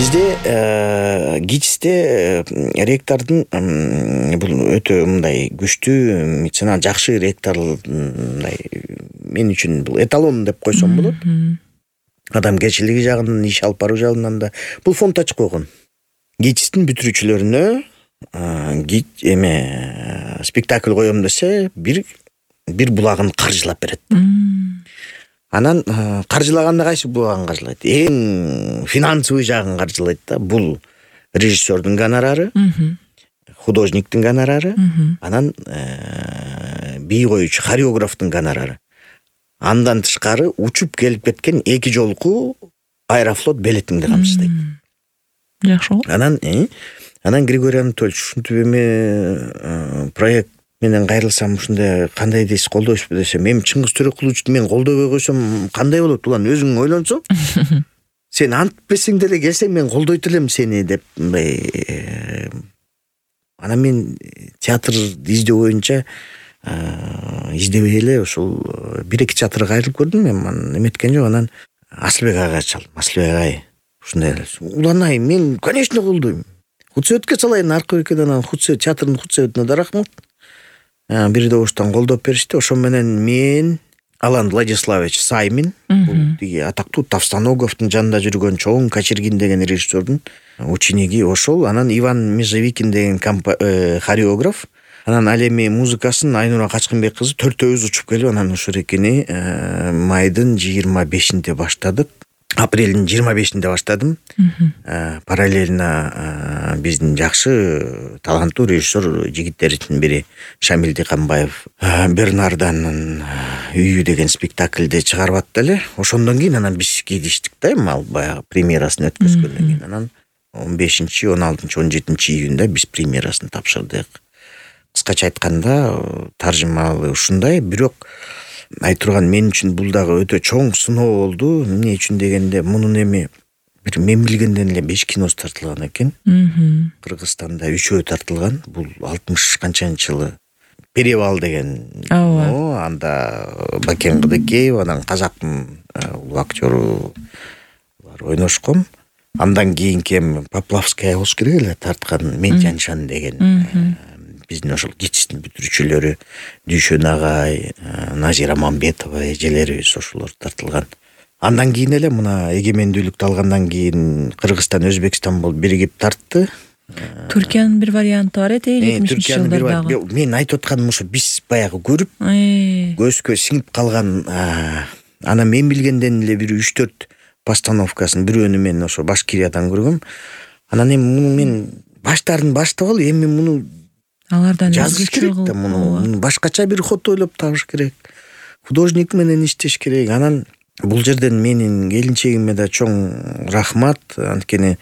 Бизде ГИТИСте ректордун бул өтө мындай күчтүү меценат, жакшы ректор, мындай мен үчүн бул эталон деп койсом болот. Адамгерчилиги жагынан, иш алып баруу жагынан да бул фонд ачып койгон. ГИТИСтин бүтүрүүчүлөрүнө спектакль коем десе бир булагын каржылап берет. Анан каржылаганда кайсы булагын каржылайт? Эң финансовый жагын каржылайт да. Бул режиссердун гонорары, художниктин гонорары, анан бий коючу хореографтун гонорары. Андан тышкары учуп келип кеткен 2 жолку Аэрофлот билетиңди камсыздайт. Жакшы. Анан Григорий Анатольевич, ушинтип эме проект менен кайрылсам ушундай кандай дейсиз, колдойсузбу десем, эми Чыңгыз Төрөкуловичту мен колдобой койсом кандай болот? Улан өзүң ойлонсоң, сен антпесең деле келсең мен колдойт элем сени деп мындай. Анан мен театр издөө боюнча издебей эле ошол 1-2 театрга кайрылып көрдүм. Мен эметкен жок. Анан Асылбек агайга чалдым. Асылбек агай ушундай эле. Улан мен конечно колдойм. Худсоветке салайын, аркыбекеден анан театрдын худсоветине да рахмат. Бир добуштан колдоп беришти. Ошо менен мен, Алан Владиславович Саймин, бул тиги атактуу Тавстаноговдун жанында жүргөн чоң Качергин деген режиссердун учениги ошол. Анан Иван Межевикин деген хореограф. Анан ал эми музыкасын Айнура Качкынбек кызы төртөөбүз учуп келип, анан ушул экени майдын 25-inde баштадык. Апрелдин 25-inde баштадым. Параллельно биздин жакшы таланттуу режиссер жигиттердин бири Шамил Диканбаев Бернарданын үйү деген спектакльди чыгарып атты эле. Ошондон кийин анан биз кийдиштик да, ал баягы премьерасын өткөзгөндөн кийин. Анан 15, 16, 17 июнда биз премьерасын тапшырдык. Кыскача айтканда таржымалы ушундай, бирок айтырган мен үчүн бул дагы өтө чоң сыноо болду. Эмне үчүн дегенде, мунун эми бир мен билгенден эле 5 киносы тартылган экен. Кыргызстанда 3-өө тартылган. Бул 60 канчанчы жылы Перевал деген кино, анда Бакен Кыдыкеев, анан казактын улуу актёру бар ойношкон. Андан кийинки Поплавская болуш керек эле тарткан Мен Жаншан деген. Биздин ошол ГИТИСтин бүтүрүүчүлөрү Дүйшөн агай, Назира Мамбетова эжелерибиз ошолор тартылган. Андан кийин эле мына эгемендүүлүктү алгандан кийин Кыргызстан, Өзбекстан болуп биригип тартты. Түркиянын бир варианты бар эти 70-жылдарда. Мен айтып атканым ошо, биз баягы көрүп көзгө сиңип калган. Анан мен билгенден эле бир 3-4 постановкасын, бирөөнү мен ошо Башкириядан көргөм. Анан эми муну мен баштарын баштап алып, эми муну алардан жазыш керек да, муну башкача бир ход ойлоп табыш керек. Художник менен иштеш керек. Анан бул жерден менин келинчегиме да чоң рахмат. Анткени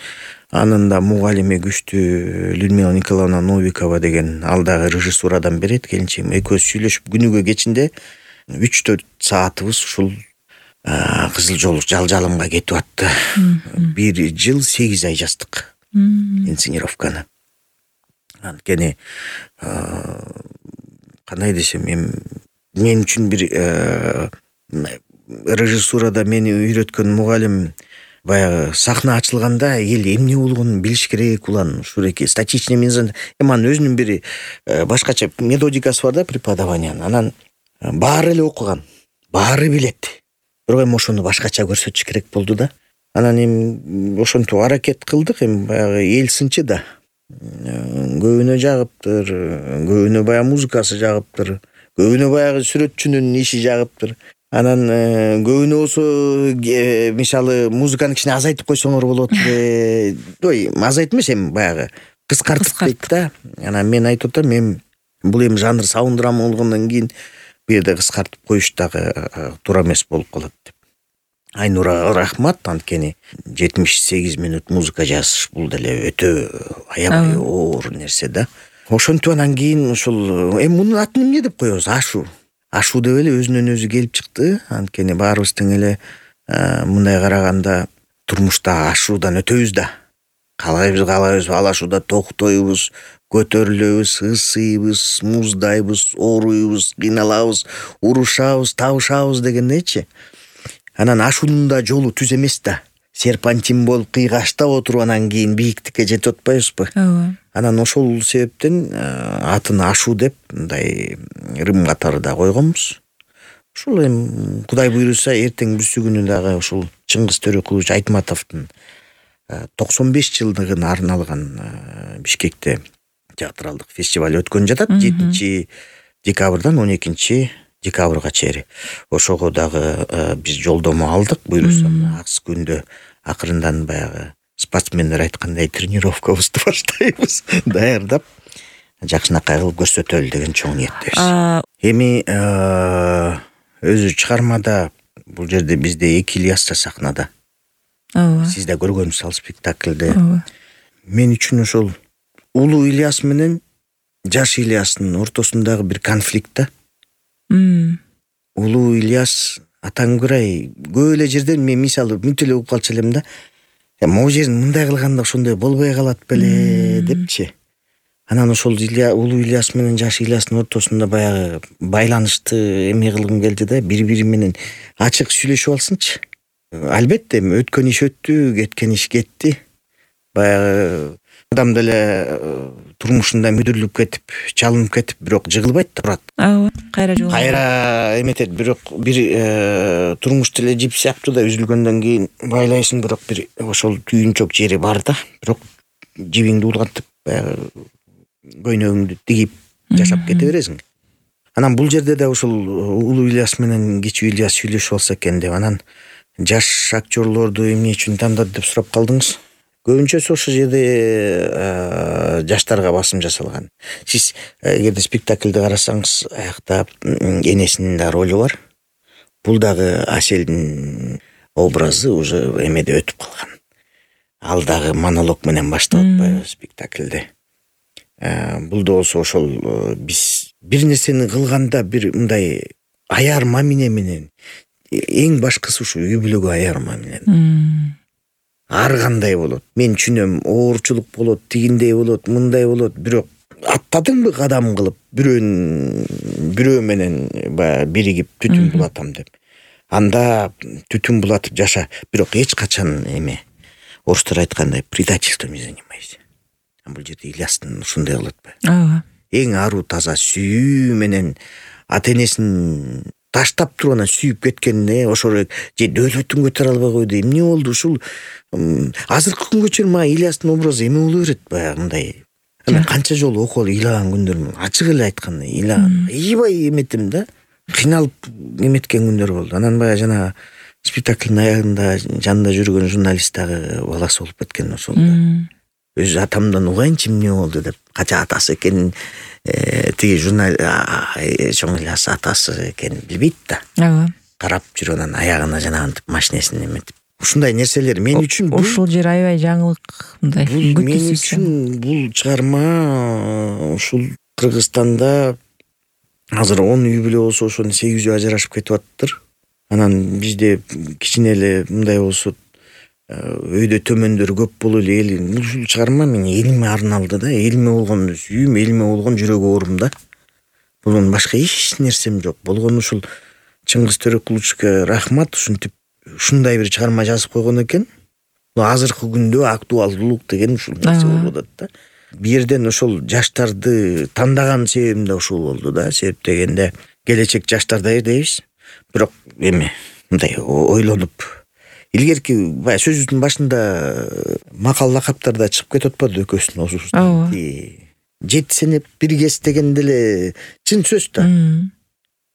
анын да мугалими күчтүү Людмила Николаевна Новикова деген, ал дагы режиссурадан берет. Келинчегим экөөбүз сүйлөшүп күнүгө кечинде 3-4 саатыбыз ушул Кызыл Жол жалжалымга кетип атты. 1 жыл 8 ай жаздык инсценировканы. Анткени кандай десем, мен үчүн бир режиссурада мени үйрөткөн мугалим баягы сахна ачылганда эл эмне болгонун билиш керек. Улан ушуреки статичный мизан, анын өзүнүн бир башкача методикасы бар да преподаваниянын. Анан баары эле окуган, баары билет. Бирок эми ошону башкача көрсөтүш керек болду да. Анан эми ошентип аракет кылдык. Эми баягы эл сынчы да. Көбүнө жагыптыр, көбүнө баягы музыкасы жагыптыр, көбүнө баягы сүрөтчүнүн иши жагыптыр. Анан көбүнө болсо мисалы музыканы кичине азайтып койсоңор болот. Ой, азайт эмес, эми баягы кыскартып дейт да. Анан мен айтып атам, эми бул эми жанр саунд драма болгондон кийин бу жерде кыскартып коюш дагы туура эмес болуп калат деп. Айнурага рахмат, анткени 78 минут музыка жазыш бул деле өтө аябай оор нерсе да. Ошентип анан кийин ушул эми мунун атын эмне деп коебуз? Ашу деп эле өзүнөн өзү келип чыкты. Анткени баарыбыз тең эле мындай караганда турмушта ашуудан өтөбүз да. Калайбыз алашууда токтойбуз, көтөрүлөбүз, ысыйбыз, муздайбыз, ооруйбуз, кыйналабыз, урушабыз, табышабыз дегендейчи. Анан ашуунун да жолу түз эмес да. серпантин болуп кыйгаштап отуруп анан кийин бийиктикке жетип атпайбызбы? Ооба. Анан ошол себептен атын Ашу деп мындай рым катары да койгонбуз. Ушул эми Кудай буйруса эртең бүрсү күнү дагы ушул Чыңгыз Төрөкулович Айтматовдун 95 жылдыгына арналган Бишкекте театралдык фестиваль өткөн жатат 7 декабрдан 12 декабрга чейин. Ошого дагы биз жолдомо алдык. Буйруса акыс күндө акырындан баягы спортсмендер айткандай тренировкабызды баштайбыз. Даярдап жакшынакай кылып көрсөтөлү деген чоң ниеттебиз. Эми өзү чыгармада бул жерде бизде 2 Ильяс да сахнада. Ооба. Сиз да көргөнсүз ал спектакльде. Мен үчүн ошол улуу Ильяс менен жаш Ильястын ортосундагы бир конфликт да. Улуу Ильяс атаңгырай көп эле жерден мен мисалы мүнт эле угуп калчу элем да. Могу жерин мындай кылганда ошондой болбой калат беле депчи. Анан ошол улуу Ильяс менен жаш Ильястын ортосунда баягы байланышты эме кылгым келди да, бири-бири менен ачык сүйлөшүп алсынчы. Албетте өткөн иш өттү, кеткен иш кетти. Баягы адам деле турмушунда мүдүрүлүп кетип, чалынып кетип, бирок жыгылбайт да турат. Ооба, кайра жолугат. Кайра эметет, бирок бир турмуш деле жип сыяктуу да үзүлгөндөн кийин байлайсың, бирок бир ошол түйүнчөк жери бар да. Бирок жибиңди улгантып, баягы көйнөгүңдү тигип жашап кете бересиң. Анан бул жерде да ошол улуу Ильяс менен кичүү Ильяс сүйлөшүп алса экен деп, анан жаш актерлорду эмне үчүн тандады деп сурап калдыңыз. Көбүнчөсү ошол жерде жаштарга басым жасалган. Сиз эгерде спектакльди карасаңыз, аякта энесинин да ролу бар. Бул дагы Аселдин образы уже эмеде өтүп калган. Ал дагы монолог менен баштап атпайбы спектакльде. Бул да болсо ошол биз бир нерсени кылганда бир мындай аярма менен эң башкысы ушу үй бүлөгө аярма менен. Ар кандай болот. Мен түшүнөм, оорчулук болот, тигиндей болот, мындай болот, бирок аттадыңбы кадам кылып, бирөө менен биригип түтүн булатам деп. Анда түтүн булатып жаша, бирок эч качан эме орустар айткандай предательством не занимайся. Бул жерде Ильястын ушундай болот ба? Ооба. Эң аруу таза сүйүү менен ата-энесин таштап туруп анан сүйүп кеткенде ошол же дөөлөтүн көтөрө албай койду. Эмне болду ушул? Азыркы күнгө чейин мага Ильястын образы эме боло берет баягы мындай. Анан канча жолу окуп алып ыйлаган күндөрүм, ачык эле айтканда ыйлаган. Ийбай эметим да. Кыйналып эметкен күндөр болду. Анан баягы жана спектакльдин аягында жанында жүргөн журналист дагы баласы болуп кеткен ошолда. Өз атамдан угайынчы эмне болду деп, кача атасы экенин тиги чоң Ильяс атасы экенин билбейт да. Ооба. Карап жүрүп анан аягына жанагантип машинесин эметип. Ушундай нерселер мен үчүн ушул жер аябай жаңылык мындай. Мен үчүн бул чыгарма ушул Кыргызстанда азыр 10 үй бүлө болсо ошонун 8-үй ажырашып кетип аттыр. Анан бизде кичине эле мындай болсо өйдө төмөндөр көп болуп эле ушул чыгарма мен элиме арналды да, элиме болгон сүйүм, элиме болгон жүрөк оорум да. Бунун башка эч нерсем жок. Болгон ушул Чыңгыз Төрөкуловичке рахмат, ушинтип ушундай бир чыгарма жазып койгон экен. Азыркы күндө актуалдуулук деген ушул нерсе болуп атат да. Бир жерден ошол жаштарды тандаган себебим да ушул болду да. Себеп дегенде келечек жаштарда дейбиз. Бирок эме мындай ойлонуп илгерки баягы сөзүбүздүн башында макал лакаптарда чыгып кетип атпады экөөсүнүн осубуз. 7 сенеп биргес деген деле чын сөз да.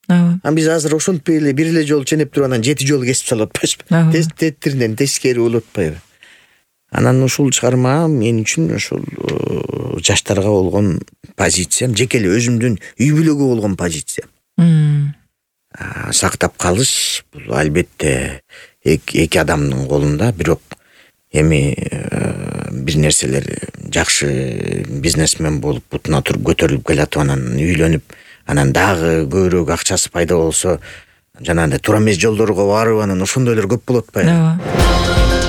Ооба. Биз азыр ошентпей эле бир эле жолу ченеп туруп анан 7 жолу кесип салып атпайбызбы? Тетиринен тескери болуп атпайбы? Анан ушул чыгарма мен үчүн ошол жаштарга болгон позициям, жеке эле өзүмдүн үй бүлөгө болгон позициям. Сактап калыш бул албетте эки адамдын колунда, бирок эми бир нерселер жакшы бизнесмен болуп бутуна туруп көтөрүлүп келатып анан үйлөнүп, анан дагы көбүрөөк акчасы пайда болсо жанагындай туура эмес жолдорго барып анан ошондойлор көп болот атпайбы?